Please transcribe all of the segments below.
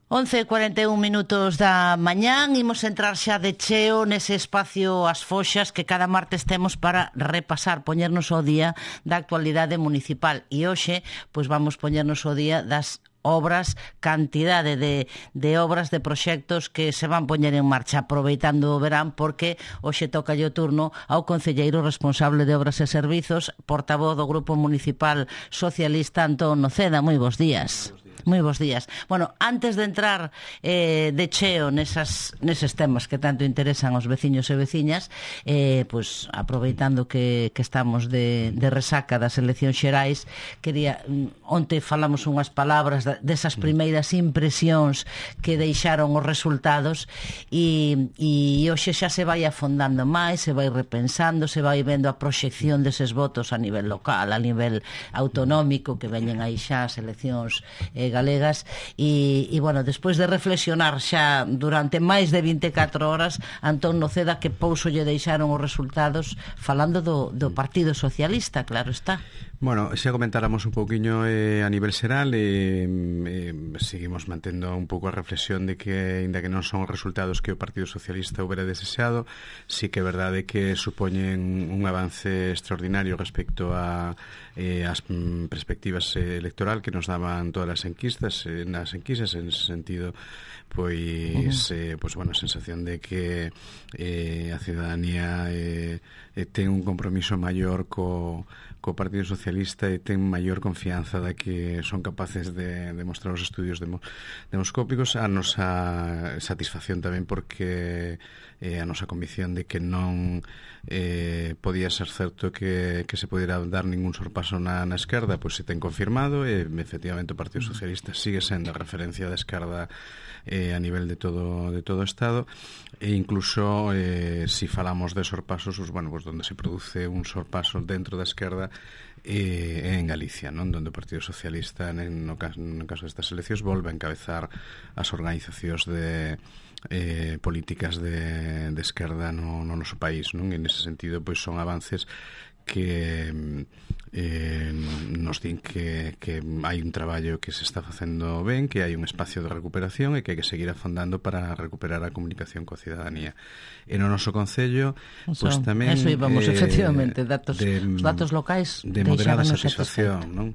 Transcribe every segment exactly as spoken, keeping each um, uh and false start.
once e cuarenta e un minutos da mañán, imos entrar xa de cheo nese espacio As Foxas que cada martes temos para repasar, poñernos ao día da actualidade municipal. E hoxe, pois vamos poñernos ao día das obras, cantidade de, de obras, de proxectos que se van poñer en marcha aproveitando o verán, porque hoxe toca o turno ao concelleiro responsable de Obras e Servizos, portavoz do Grupo Municipal Socialista, Antón Noceda. Moi bons días. Moi bons días. Bueno, antes de entrar eh, de cheo nesas, neses temas que tanto interesan aos veciños e veciñas, eh, pues, aproveitando que, que estamos de, de resaca das eleccións xerais, quería, onte falamos unhas palabras desas primeiras impresións que deixaron os resultados e, e hoxe xa se vai afondando máis, se vai repensando, se vai vendo a proxección deses votos a nivel local, a nivel autonómico, que veñen aí xa as eleccións eh, galegas e, e bueno, despois de reflexionar xa durante máis de vinte e catro horas, Antón Noceda, que pouso lle deixaron os resultados falando do, do Partido Socialista, claro está. Bueno, xa comentáramos un pouquiño eh, a nivel xeral e eh, seguimos mantendo un pouco a reflexión de que, ainda que non son os resultados que o Partido Socialista houbera desexado, sí que é verdade que supoñen un avance extraordinario respecto a eh, as mm, perspectivas eh, electoral que nos daban todas as enquistas, eh, nas enquistas, en ese sentido, pois, uh-huh. eh, pois bueno, a sensación de que eh, a ciudadanía eh, eh, ten un compromiso maior co co Partido Socialista e ten maior confianza de que son capaces de demostrar os estudios demo, demoscópicos. A nosa satisfacción tamén porque eh, a nosa convicción de que non eh, podía ser certo que, que se pudera dar ningún sorpaso na, na esquerda, pois se ten confirmado e efectivamente o Partido Socialista sigue sendo a referencia da esquerda eh, a nivel de todo de todo o Estado e incluso eh, si falamos de sorpasos, pues, bueno, pues donde se produce un sorpaso dentro da esquerda eh, en Galicia, non? Donde o Partido Socialista no caso, no caso destas eleccións volve a encabezar as organizacións de eh, políticas de, de esquerda no, no noso país, non? En ese sentido, pois son avances que eh, nos din que, que hai un traballo que se está facendo ben, que hai un espacio de recuperación e que hai que seguir afondando para recuperar a comunicación coa ciudadanía. E no noso concello, pois pues, tamén eso íbamos, eh, efectivamente, datos, de, os datos locais de moderada satisfacción, non?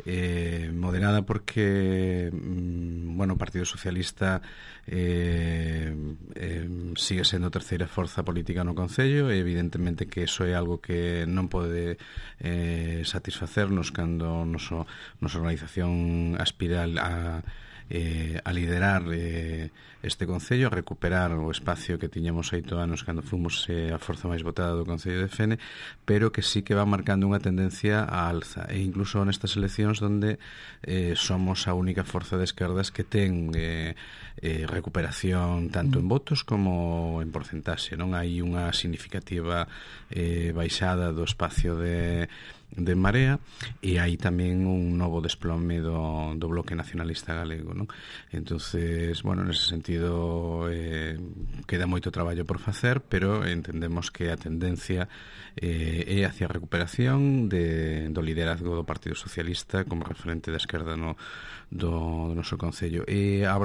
Eh, moderada porque mm, bueno, o Partido Socialista eh, eh, sigue sendo a terceira forza política no concello e evidentemente que eso é algo que non pode eh, satisfacernos cando noso, nosa organización aspira a Eh, a liderar eh, este concello, a recuperar o espacio que tiñamos oito anos cando fomos eh, a forza máis votada do Concello de Fene, pero que sí que va marcando unha tendencia a alza, e incluso nestas eleccións donde eh, somos a única forza de esquerdas que ten eh, eh, recuperación tanto en votos como en porcentaxe, non hai unha significativa eh, baixada do espacio de de Marea e hai tamén un novo desplome do, do bloque nacionalista galego, non? Entonces, bueno, nese sentido eh, queda moito traballo por facer, pero entendemos que a tendencia eh, é hacia a recuperación de, do liderazgo do Partido Socialista como referente da esquerda no, do, do noso concello. E a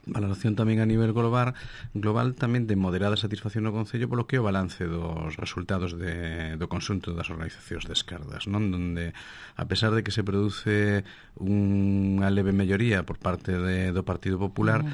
valoración tamén a nivel global global tamén de moderada satisfacción no Concello polo que é o balance dos resultados de, do conxunto das organizacións de esquerdas, non? Donde, a pesar de que se produce unha leve melloría por parte de, do Partido Popular,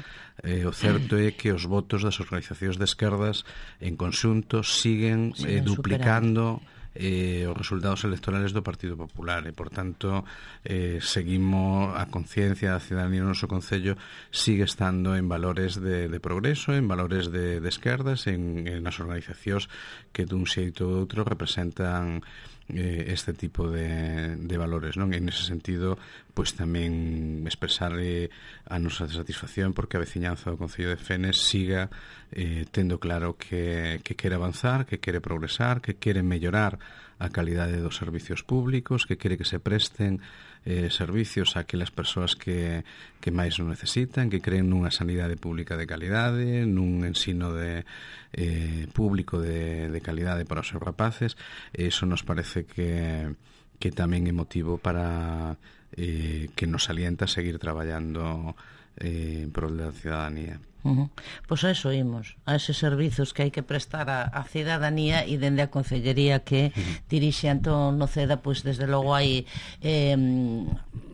eh, o certo é que os votos das organizacións de esquerdas en conxunto siguen, siguen eh, duplicando superando. Eh, os resultados electorales do Partido Popular e, por tanto, eh, seguimos a conciencia da ciudadanía no noso concello sigue estando en valores de, de progreso, en valores de, de esquerdas, en, en as organizacións que dun xeito ou outro representan eh, este tipo de, de valores, non? En ese sentido, pois tamén expresar eh, a nosa satisfacción porque a veciñanza do Concello de Fene siga eh, tendo claro que, que quere avanzar, que quere progresar, que quere mellorar a calidade dos servicios públicos, que quere que se presten eh, servicios a aquelas persoas que, que máis o necesitan, que creen nunha sanidade pública de calidade, nun ensino de, eh, público de, de calidade para os seus rapaces. Eso nos parece que, que tamén é motivo para eh, que nos alienta a seguir traballando eh, en prol da ciudadanía. Uh-huh. Pois a eso imos, a eses servizos que hai que prestar a, a cidadanía, e dende a Concellería que uh-huh. dirixe Antón Noceda, pois desde logo hai eh,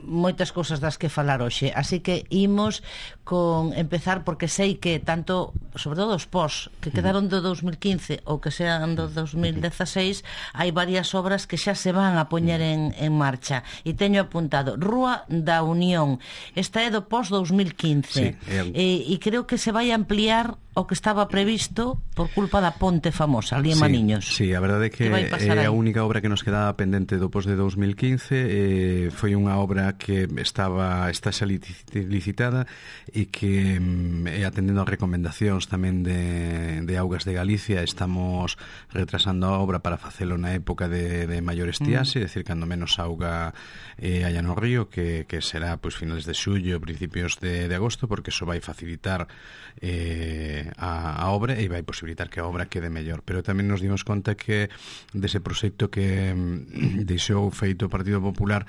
moitas cousas das que falar hoxe, así que imos con empezar, porque sei que tanto, sobre todo os pós que quedaron do dos mil quince ou que sean do dos mil dezaseis, hai varias obras que xa se van a poñer en, en marcha, e teño apuntado Rúa da Unión, esta é do pós dos mil quince, sí, é... e, e creo que se vai ampliar o que estaba previsto por culpa da ponte famosa ali en sí, Maniños. Sí, a verdade é que é a única obra que nos quedaba pendente do pós de dos mil quince, eh, foi unha obra que estaba está xa licitada e que eh, atendendo as recomendacións tamén de, de Augas de Galicia, estamos retrasando a obra para facelo na época de, de maior estiaxe, mm. é dicir, cando menos auga eh, haya no río, que, que será pues, finales de xullo, principios de, de agosto, porque eso vai facilitar eh, a, a obra e vai posibilitar que a obra quede mellor. Pero tamén nos dimos conta que dese proxecto que mm, deixou feito o Partido Popular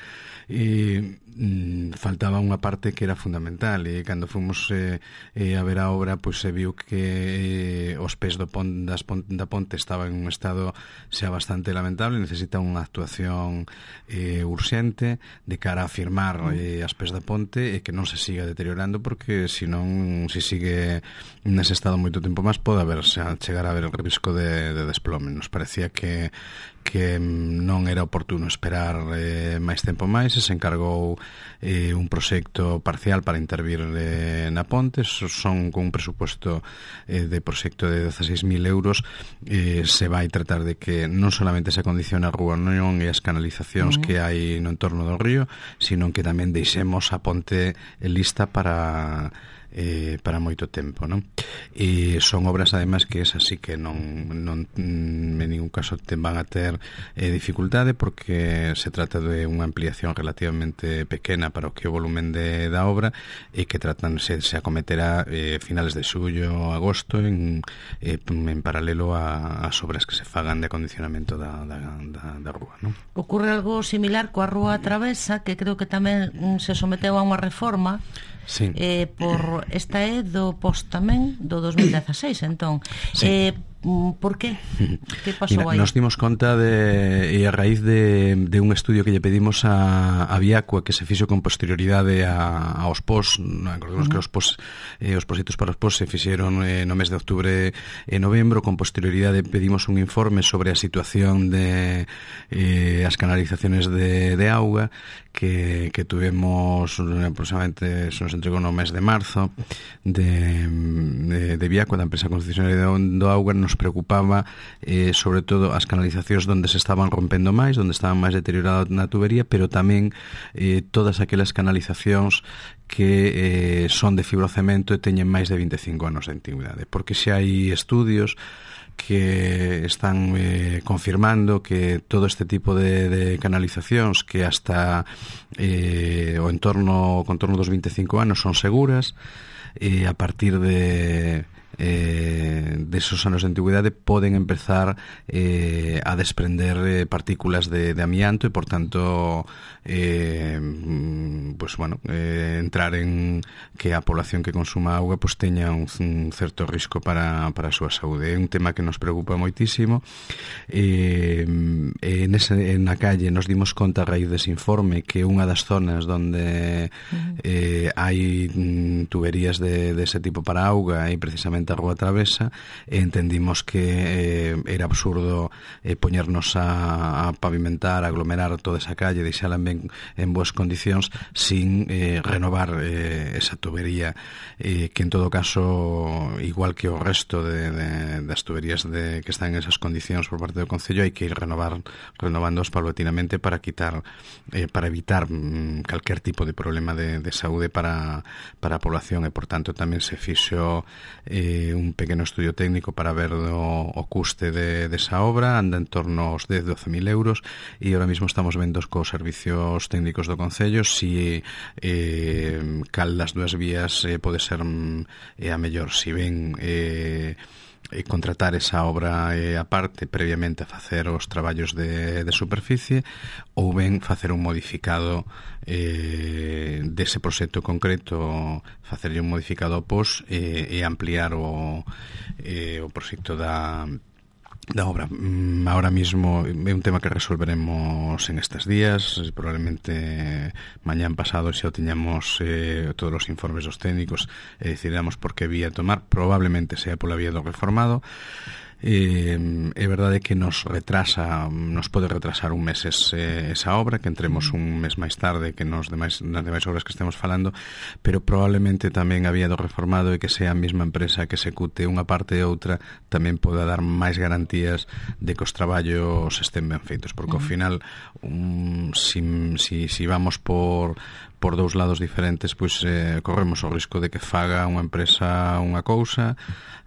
e mm, faltaba unha parte que era fundamental, e cando fomos eh, eh, a ver a obra, pois se viu que eh, os pés do pon, das pon, da ponte estaba en un estado xa bastante lamentable, necesita unha actuación eh, urxente de cara a firmar eh, as pés da ponte e que non se siga deteriorando, porque senón, se sigue nese estado moito tempo máis, pode haber, xa, chegar a haber o risco de, de desplome. Nos parecía que que non era oportuno esperar eh, máis tempo máis, e se encargou eh, un proxecto parcial para intervir eh, na ponte. Son con un presupuesto eh, de proxecto de dezaseis mil euros, eh, se vai tratar de que non solamente se acondicione a Rúa Unión e as canalizacións uh-huh. que hai no entorno do río, sino que tamén deixemos a ponte lista para eh, para moito tempo, non? E son obras, ademais, que es así que non, non en ningún caso te van a ter eh, dificultade, porque se trata de unha ampliación relativamente pequena para o que o volumen de, da obra, e que tratan se, se acometerá eh, finales de xullo, agosto, en, eh, en paralelo a, as obras que se fagan de acondicionamento da, da, da, da rúa, non? Ocurre algo similar coa Rúa Travesa, que creo que tamén se someteu a unha reforma. Sí. Eh, por esta é do post tamén do dos mil dezaseis, entón sí. eh, por qué? Que pasou Mira, aí? Nos dimos conta de, e a raíz de, de un estudio que lle pedimos a, a Viacua, que se fixo con posterioridade a, aos post. Acordemos uh-huh. que os post, eh, os positos para os post se fixeron eh, no mes de outubro e novembro. Con posterioridade pedimos un informe sobre a situación de eh, as canalizaciones de, de auga que, que tuvemos aproximadamente, se nos entregou no mes de marzo, de, de, de Viacua, da empresa concesionaria do auga. Nos preocupaba eh, sobre todo as canalizacións onde se estaban rompendo máis, onde estaban máis deterioradas na tubería, pero tamén eh, todas aquelas canalizacións que eh, son de fibrocemento e teñen máis de vinte e cinco anos de antigüidade, porque xa hai estudios que están eh, confirmando que todo este tipo de, de canalizacións que hasta eh, o entorno, o contorno dos vinte e cinco anos son seguras, e a partir de eh, desos anos de antigüidade poden empezar eh, a desprender eh, partículas de, de amianto, e por tanto eh, pues bueno, eh, entrar en que a población que consuma auga pues teña un, un certo risco para, para a súa saúde. É un tema que nos preocupa moitísimo. eh, eh, nese, na calle nos dimos conta a raíz dese informe que unha das zonas onde eh, hai tuberías de, de ese tipo para auga é precisamente a Rúa Travesa, e entendimos que eh, era absurdo eh, poñernos a, a pavimentar, a aglomerar toda esa calle, deixala en, en boas condicións sin eh, renovar eh, esa tubería, eh, que en todo caso, igual que o resto de, de, das tuberías de, que están en esas condicións por parte do Concello, hai que ir renovar renovándoos paulatinamente para quitar eh, para evitar mm, calquer tipo de problema de, de saúde para, para a población, e por tanto tamén se fixo eh, un pequeno estudio técnico para ver o, o custe de, de esa obra. Anda en torno aos dez a doce mil euros, e ahora mismo estamos vendo cos servicios técnicos do Concello si eh, cal das dúas vías eh, pode ser eh, a mellor, si ben eh, e contratar esa obra eh, aparte previamente a facer os traballos de, de superficie, ou ben facer un modificado eh, dese proxecto concreto, facerlle un modificado pos e, e ampliar o, eh, o proxecto da da obra. Ahora mismo é un tema que resolveremos en estes días, probablemente mañán pasado xa o tiñamos eh, todos os informes dos técnicos e decidiramos por que vía tomar, probablemente sea pola vía do reformado. Eh, é verdade que nos retrasa, nos pode retrasar un mes ese, esa obra, que entremos un mes máis tarde que nos demais, nas demais obras que estemos falando, pero probablemente tamén a vía do reformado e que sea a mesma empresa que execute unha parte e outra tamén poda dar máis garantías de que os traballos estén ben feitos, porque ao final um, si, si, si vamos por por dous lados diferentes, pois eh, corremos o risco de que faga unha empresa unha cousa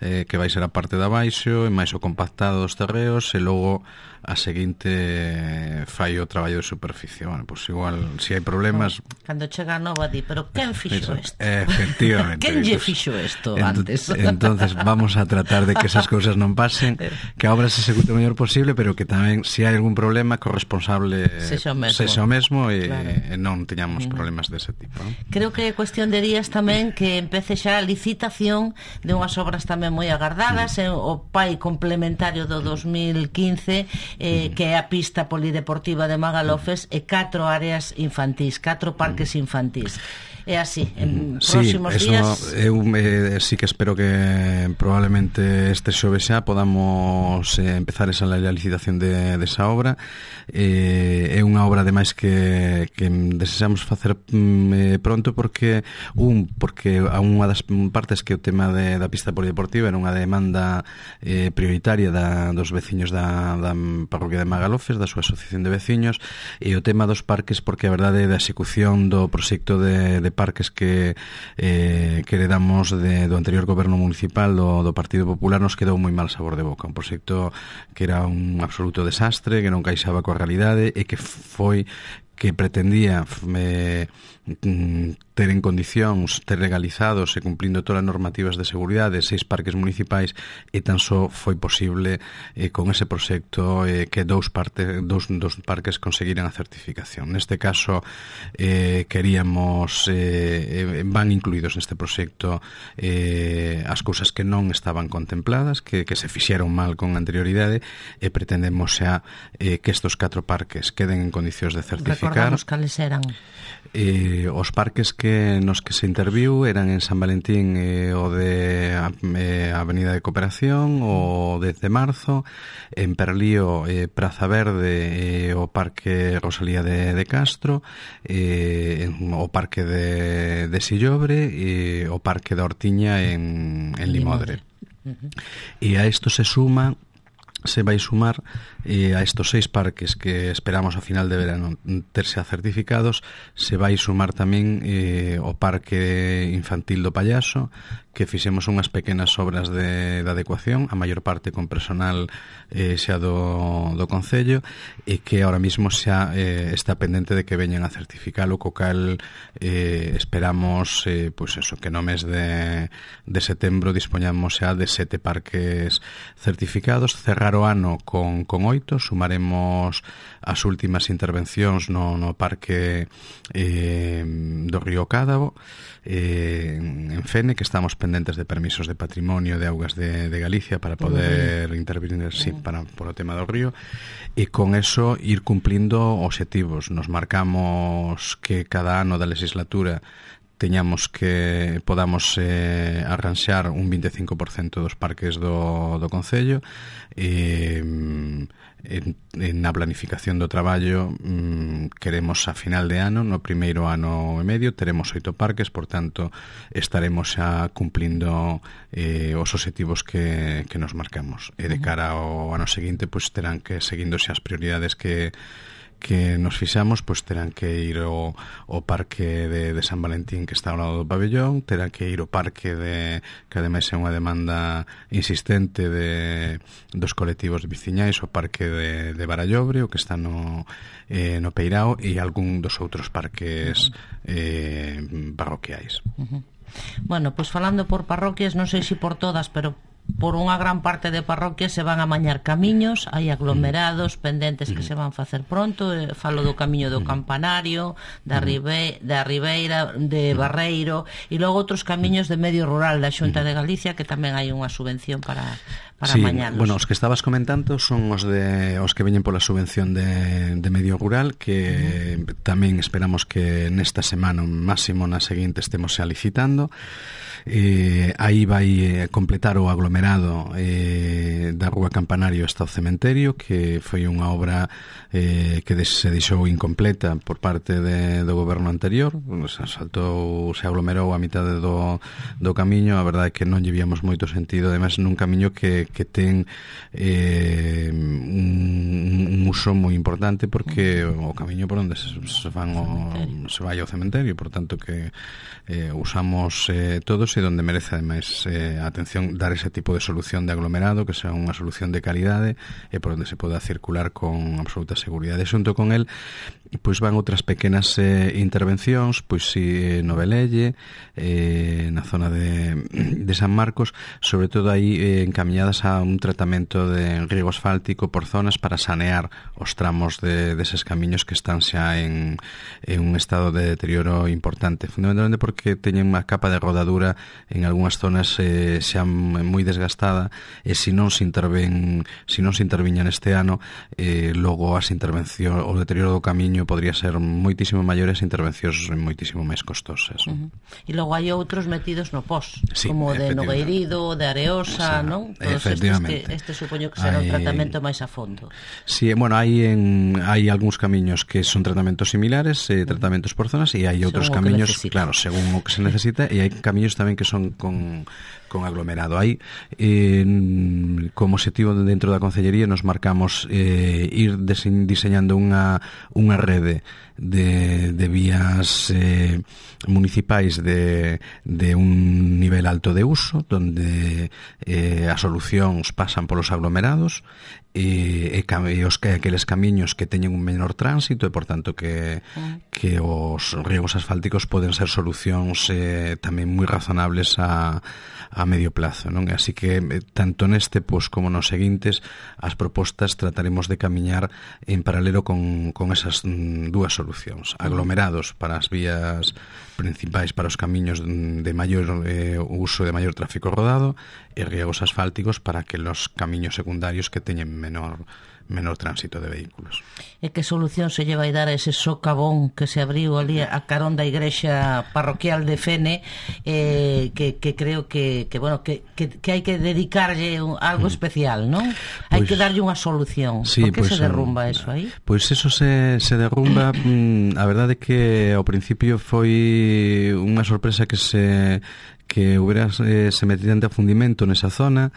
eh, que vai ser a parte de abaixo e máis o compactado dos terreos e logo a seguinte fai o traballo de superficie. Bueno, pois igual, se si hai problemas... Cando chega a nova di, pero quen fixo isto? Efectivamente. Quen lle fixo isto antes? Entonces vamos a tratar de que esas cousas non pasen, que a obra se execute o mellor posible, pero que tamén, se hai algún problema, que o responsable sexa o mesmo, sexa o mesmo e, claro. e non teñamos mm. problemas dese tipo, ¿no? Creo que é cuestión de días tamén que empece xa a licitación de unhas obras tamén moi agardadas, mm. o pai complementario do dos mil quince, eh, mm. que é a pista polideportiva de Magalofes e catro áreas infantís, catro parques mm. infantís. É así, en sí, próximos eso, días... Eu eh, sí que espero que probablemente este xoves xa podamos eh, empezar esa la licitación de, de esa obra. Eh, é unha obra ademais que, que desexamos facer mm, eh, pronto porque un, porque a unha das partes que o tema de, da pista polideportiva era unha demanda eh, prioritaria da, dos veciños da, da parroquia de Magalofes, da súa asociación de veciños, e o tema dos parques porque a verdade da execución do proxecto de, de parques que eh, que heredamos de, do anterior goberno municipal do, do Partido Popular nos quedou moi mal sabor de boca, un proxecto que era un absoluto desastre, que non caixaba coa realidade e que foi que pretendía eh, ter en condicións, ter legalizados e cumplindo todas as normativas de seguridade seis parques municipais e tan só foi posible eh, con ese proxecto eh, que dous, parte, dous, dous parques conseguiran a certificación. Neste caso eh, queríamos eh, van incluídos neste proxecto eh, as cousas que non estaban contempladas, que, que se fixeron mal con anterioridade e pretendemos xa eh, que estos catro parques queden en condicións de certificar. Recordamos cales eran. Eh, os parques que nos que se interviu eran en San Valentín eh, o de eh, Avenida de Cooperación, o dez de marzo, en Perlío eh, Praza Verde, eh, o Parque Rosalía de, de Castro, eh, en, o Parque de, de Sillobre e o Parque da Hortiña en, en Limodre. Uh-huh. E a isto se suma se vai sumar eh, a estos seis parques que esperamos a final de verano terse certificados, se vai sumar tamén eh, o Parque Infantil do Pallaso, que fixemos unhas pequenas obras de, de adecuación, a maior parte con personal eh, xa do, do Concello, e que ahora mismo xa eh, está pendente de que veñan a certificalo, co cal eh, esperamos eh, pois eso, que no mes de, de setembro dispoñamos xa de sete parques certificados, cerrar o ano con, con oito, sumaremos as últimas intervencións no, no Parque eh, do Río Cádavo, eh, en Fene, que estamos pendentes de permisos de patrimonio de augas de, de Galicia para poder intervenir sí, para, por o tema do río, e con eso ir cumplindo obxectivos. Nos marcamos que cada ano da legislatura teñamos que podamos eh, arranxar un veinticinco por cento dos parques do, do Concello e en, en na planificación do traballo mm, queremos a final de ano, no primeiro ano e medio teremos oito parques, por tanto estaremos xa cumplindo eh, os obxectivos que, que nos marcamos, e de cara ao ano seguinte pois terán que, seguindo xa as prioridades que que nos fixamos, pois terán que ir ao, ao Parque de, de San Valentín, que está ao lado do pabellón, terán que ir ao Parque de, que ademais é unha demanda insistente de, dos colectivos de veciñais, o Parque de, de Barallobre, o que está no, eh, no Peirao, e algún dos outros parques eh, parroquiais. Uh-huh. Bueno, pois falando por parroquias, non sei se por todas, pero por unha gran parte de parroquias se van a mañar camiños, hai aglomerados pendentes que se van facer pronto. eh, falo do camiño do Campanario, da, Ribe, da Ribeira, de Barreiro, e logo outros camiños de medio rural da Xunta de Galicia que tamén hai unha subvención para para sí, mañanos. Bueno, os que estabas comentando son os de os que veñen pola subvención de, de medio rural, que uh-huh. tamén esperamos que nesta semana, máximo na seguinte, estemos xa licitando. Eh, aí vai completar o aglomerado eh, da Rúa Campanario hasta o cementerio, que foi unha obra eh, que se deixou incompleta por parte de, do goberno anterior. Se saltou, se aglomerou a mitade do, do camiño. A verdade é que non lle víamos moito sentido, ademais nun camiño que, que ten eh, un, un uso moi importante, porque o camiño por onde se, se, van o, se vai ao cementerio, por tanto que eh, usamos eh, todos, e donde merece ademais eh, a atención dar ese tipo de solución de aglomerado, que sea unha solución de calidade e por onde se poda circular con absoluta seguridade. Xunto con el, pois van outras pequenas eh, intervencións, pois si no Velelle, eh, na zona de, de San Marcos, sobre todo aí eh, encamiñadas a un tratamento de riego asfáltico por zonas para sanear os tramos de, deses camiños que están xa en, en un estado de deterioro importante, fundamentalmente porque teñen unha capa de rodadura en algunhas zonas eh, xa moi desgastada, e se non se interven se non se interviña neste ano, eh, logo as intervencións, o deterioro do camiño podría ser moitísimo maior, e as intervencións moitísimo máis costosas. Uh-huh. E logo hai outros metidos no pós, sí, como de Nogueirido, de Areosa, non? Todos estes que este supoño que será hai... un tratamento máis a fondo. Sí, bueno, hai en hai algúns camiños que son tratamentos similares, eh, tratamentos por zonas, e hai outros camiños, claro, según o que se necesita, e hai camiños tamén que son con, con aglomerado. Aí, eh, como objetivo dentro da Concellería, nos marcamos eh, ir diseñando unha, unha rede de, de vías eh, municipais de, de un nivel alto de uso, donde eh, as solucións pasan polos aglomerados, e, e, e os que aqueles camiños que teñen un menor tránsito, e por tanto que, que os riegos asfálticos poden ser solucións eh, tamén moi razonables a, a medio plazo, non? Así que eh, tanto neste pois, como nos seguintes, as propostas trataremos de camiñar en paralelo con, con esas mm, dúas solucións: aglomerados para as vías principais, para os camiños de maior eh, uso, de maior tráfico rodado, e riegos asfálticos para que los camiños secundarios que teñen menor menor tránsito de vehículos. E que solución se lle vai dar a ese socavón que se abriu ali a carón da igrexa parroquial de Fene, eh, que, que creo que, que bueno que, que, que hai que dedicarlle un, algo especial, non? Pues, hai que darlle unha solución. Sí, Por que pues, se derrumba eso aí? Pois pues eso se, se derrumba. A verdade é que ao principio foi unha sorpresa que se que hubiera eh, se metidente a fundimento nesa zona.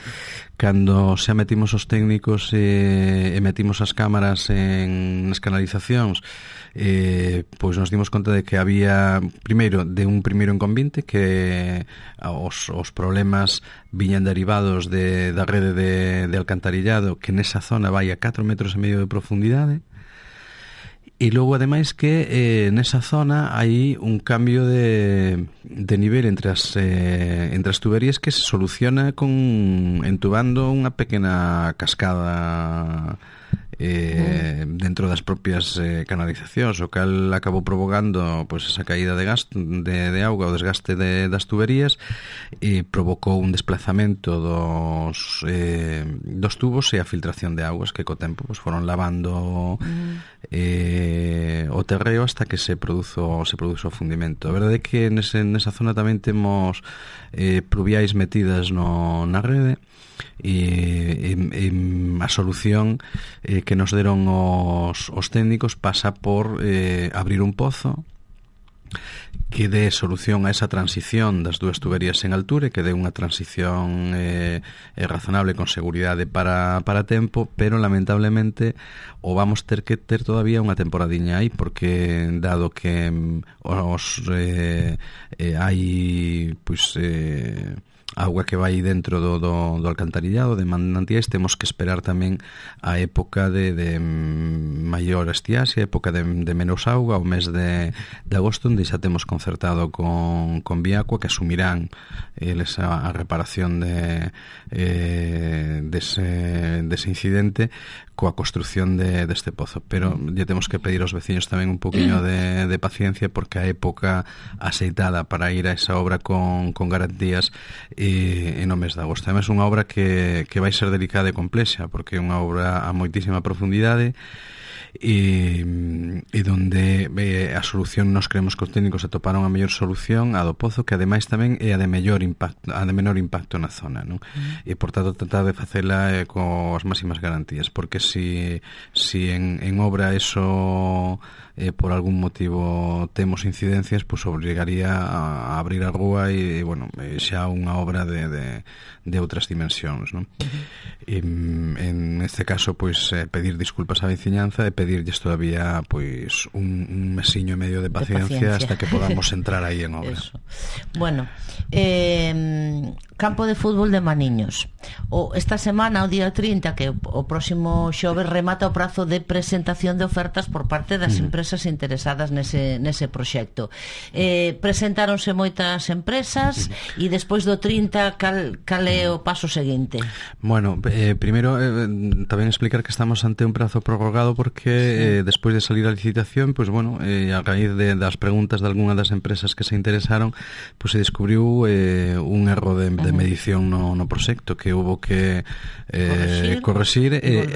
Cando xa metimos os técnicos e, e metimos as cámaras en nas canalizacións, eh, pois nos dimos conta de que había, primeiro, de un primeiro inconveniente, que os, os problemas viñan derivados de, da rede de, de alcantarillado, que nesa zona vai a catro metros e medio de profundidade. E logo, ademais, que eh, nesa zona hai un cambio de, de nivel entre as, eh, entre as tuberías que se soluciona con entubando unha pequena cascada eh, dentro das propias eh, canalizacións, o cal acabou provocando pois, esa caída de, gas, de, de auga, o desgaste de, das tuberías, e provocou un desplazamento dos, eh, dos tubos e a filtración de augas que co tempo pois, foron lavando eh, o terreo hasta que se produzo, se produzo o fundimento. A verdade é que nese, nesa zona tamén temos eh, pluviais metidas no, na rede, e, e, e a solución eh, que nos deron os, os técnicos pasa por eh, abrir un pozo que dé solución a esa transición das dúas tuberías en altura, e que dé unha transición eh, eh, razonable con seguridade para, para tempo, pero lamentablemente o vamos ter que ter todavía unha temporadiña aí, porque dado que os eh, eh, hai pois eh, auga que vai dentro do, do, do alcantarillado de manantiais, temos que esperar tamén a época de, de maior estiaxe, a época de, de menos auga, o mes de, de agosto, onde xa temos concentración concertado con, con Viacua, que asumirán eles a, a reparación de eh, dese, dese incidente coa construción de, deste pozo, pero lle temos que pedir aos veciños tamén un poquinho de, de paciencia, porque a época aceitada para ir a esa obra con, con garantías e, e no mes de agosto. Además, unha obra que, que vai ser delicada e complexa, porque é unha obra a moitísima profundidade e, e donde eh, a solución, nos creemos que os técnicos atoparon a mellor solución, a do pozo, que ademais tamén é a de mellor impacto, a de menor impacto na zona, non? Mm. E por tanto tratar de facela eh, coas máximas garantías, porque si, si en, en obra eso eh, por algún motivo temos incidencias, pois pues obrigaría a, a abrir a rúa e, e bueno, xa unha obra de, de, de outras dimensións, non? Mm-hmm. E, en este caso, pois pues, eh, pedir disculpas á veciñanza e pedirlles todavía pois pues, un, un mesiño e medio de paciencia, de paciencia hasta que podamos entrar aí en obra. Eso. Bueno, eh, campo de fútbol de Maniños. O, esta semana, o día trinta, que o próximo xoves remata o prazo de presentación de ofertas por parte das mm. empresas interesadas nese, nese proxecto. Eh, presentáronse moitas empresas mm. e despois do trinta, cal, cal é o paso seguinte? Bueno, eh, primeiro eh, tamén explicar que estamos ante un prazo prorrogado porque sí. eh, despois de salir a licitación, pois pues, bueno, eh, a raíz de, das preguntas de algunha das empresas que se interesaron, pois pues, se descubriu eh, un erro de, de medición no, no proxecto que hubo que eh, corregir e,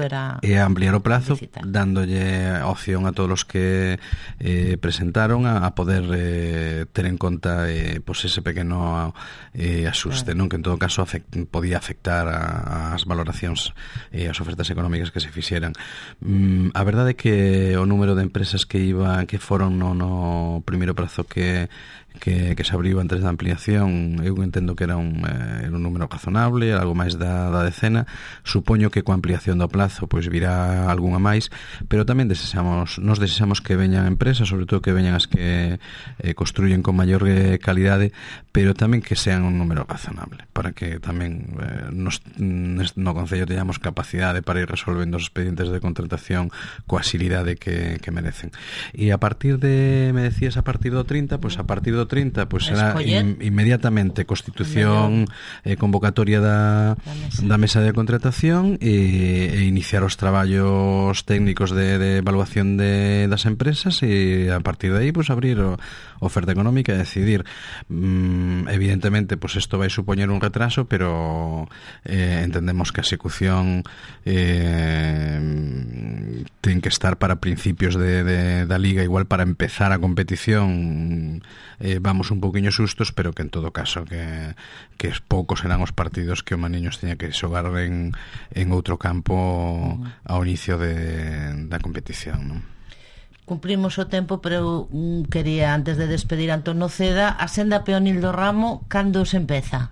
e ampliar o plazo, visitar, dándolle opción a todos os que eh, presentaron a, a poder eh, ter en conta eh, pues ese pequeno eh, asuste, claro, non, que en todo caso afect, podía afectar a, as valoracións e eh, as ofertas económicas que se fixeran. Mm, a verdade é que o número de empresas que iba que foron no, no primeiro prazo que que, que se abriu antes da ampliación, eu entendo que era un, eh, era un número razonable, algo máis da, da decena. Supoño que coa ampliación do plazo pois virá algunha máis, pero tamén desexamos, nos desexamos que veñan empresas, sobre todo que veñan as que eh, construyen con maior eh, calidade, pero tamén que sean un número razonable, para que tamén eh, nos, no Concello teñamos capacidade para ir resolvendo os expedientes de contratación coa xilidade que, que merecen. E a partir de, me decías, a partir do trinta, pois a partir do trinta, pois será in, inmediatamente constitución e eh, convocatoria da, da, mesa. da mesa de contratación e, e iniciar os traballos técnicos de, de evaluación de, das empresas e a partir de aí pois abrir o, oferta económica e decidir. Mm, evidentemente pois isto vai supoñer un retraso, pero eh, entendemos que a execución eh, ten que estar para principios de, de, da Liga, igual para empezar a competición eh, vamos un pouquiño sustos, pero que en todo caso que, que poucos serán os partidos que o Maniños teña que xogar en, en outro campo ao inicio de, da competición, non? Cumprimos o tempo, pero um, quería, antes de despedir a Antón Noceda, a senda peonil do Ramo, cando se empeza?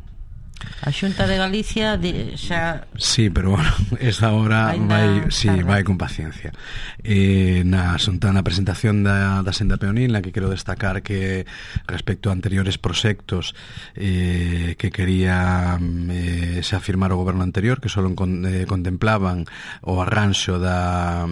A Xunta de Galicia xa... Sí, pero bueno, esa hora vai, sí, vai con paciencia. Eh, na xunta, na presentación da, da senda peonil, na que quero destacar que respecto a anteriores proxectos eh, que quería eh, xa firmar o goberno anterior, que só con, eh, contemplaban o arranxo da...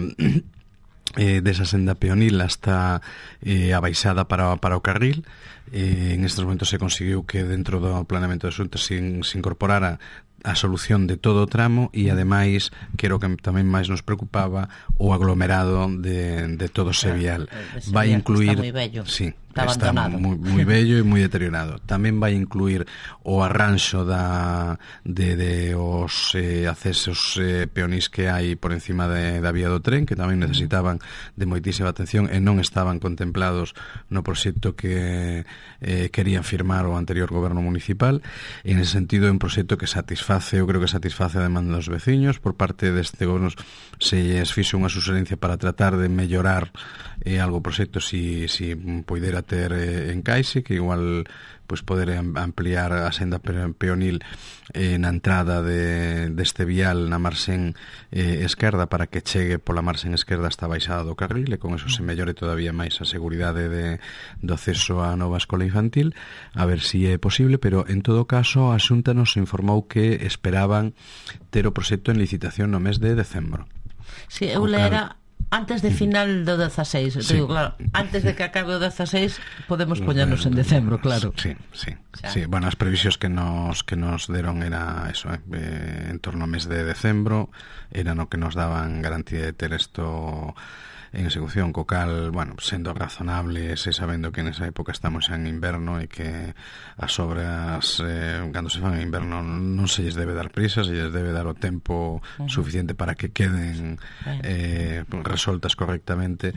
Eh, desa senda peonil hasta eh, a baixada para, para o carril. Eh, en estes momentos se conseguiu que dentro do planeamento de asuntos se, se incorporara a solución de todo o tramo e ademais, que era o que tamén máis nos preocupaba, o aglomerado de, de todo o Sevial. Vai incluir... Está moi bello. Sí, está, está moi, moi bello e moi deteriorado. Tamén vai incluir o arranxo da, de, de os eh, accesos eh, peonís que hai por encima de, da vía do tren, que tamén necesitaban de moitísima atención e non estaban contemplados no proxecto que eh, querían firmar o anterior goberno municipal. En ese sentido, é un proxecto que satisface, eu creo que satisface a demanda dos veciños. Por parte deste goberno se lles fixo unha suxerencia para tratar de mellorar eh, algo o proxecto si, si poidera ter eh, encaixe, que igual pois poder ampliar a senda peonil eh, na entrada de, deste vial na marxen eh, esquerda para que chegue pola marxen esquerda hasta a baixada do carril e con eso se mellore todavía máis a seguridade de, do acceso á nova escola infantil, a ver si é posible, pero en todo caso a Xunta nos informou que esperaban ter o proxecto en licitación no mes de decembro. Si, eu lera Antes de final do dezaseis, sí. Digo, claro, antes de que acabe o dezaseis podemos poñernos en decembro, claro. Sí, sí. Sí, bueno, as previsións que nos que nos deron era eso, eh, en torno ao mes de decembro, era no que nos daban garantía de ter isto en execución, co cal, bueno, sendo razonables e sabendo que nesa época estamos en inverno e que as obras eh, cando se fan en inverno non se lles debe dar prisa, se lles debe dar o tempo uh-huh. suficiente para que queden eh, resoltas correctamente.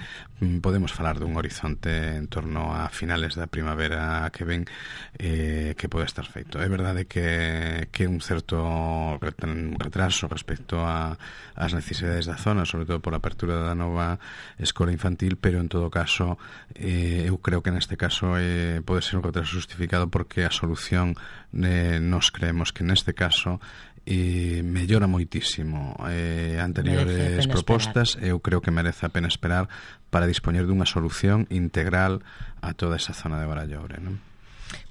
Podemos falar dun horizonte en torno a finales da primavera que ven, eh, que pode estar feito. É verdade que que un certo retraso respecto a as necesidades da zona, sobre todo por a apertura da nova escola infantil, pero en todo caso eh, eu creo que neste caso eh, pode ser un retraso justificado porque a solución eh, nos creemos que neste caso eh, mellora moitísimo eh, anteriores propostas. Eu creo que merece a pena esperar para dispoñer dunha solución integral a toda esa zona de Barallobre, non?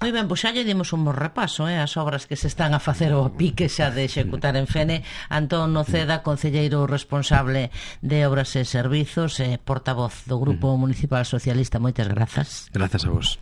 Moi ben, pois xa lle dimos un bo repaso eh, as obras que se están a facer ao pique xa de executar en Fene. Antón Noceda, concelleiro responsable de Obras e Servizos e eh, portavoz do Grupo Municipal Socialista, moitas grazas. Grazas a vos.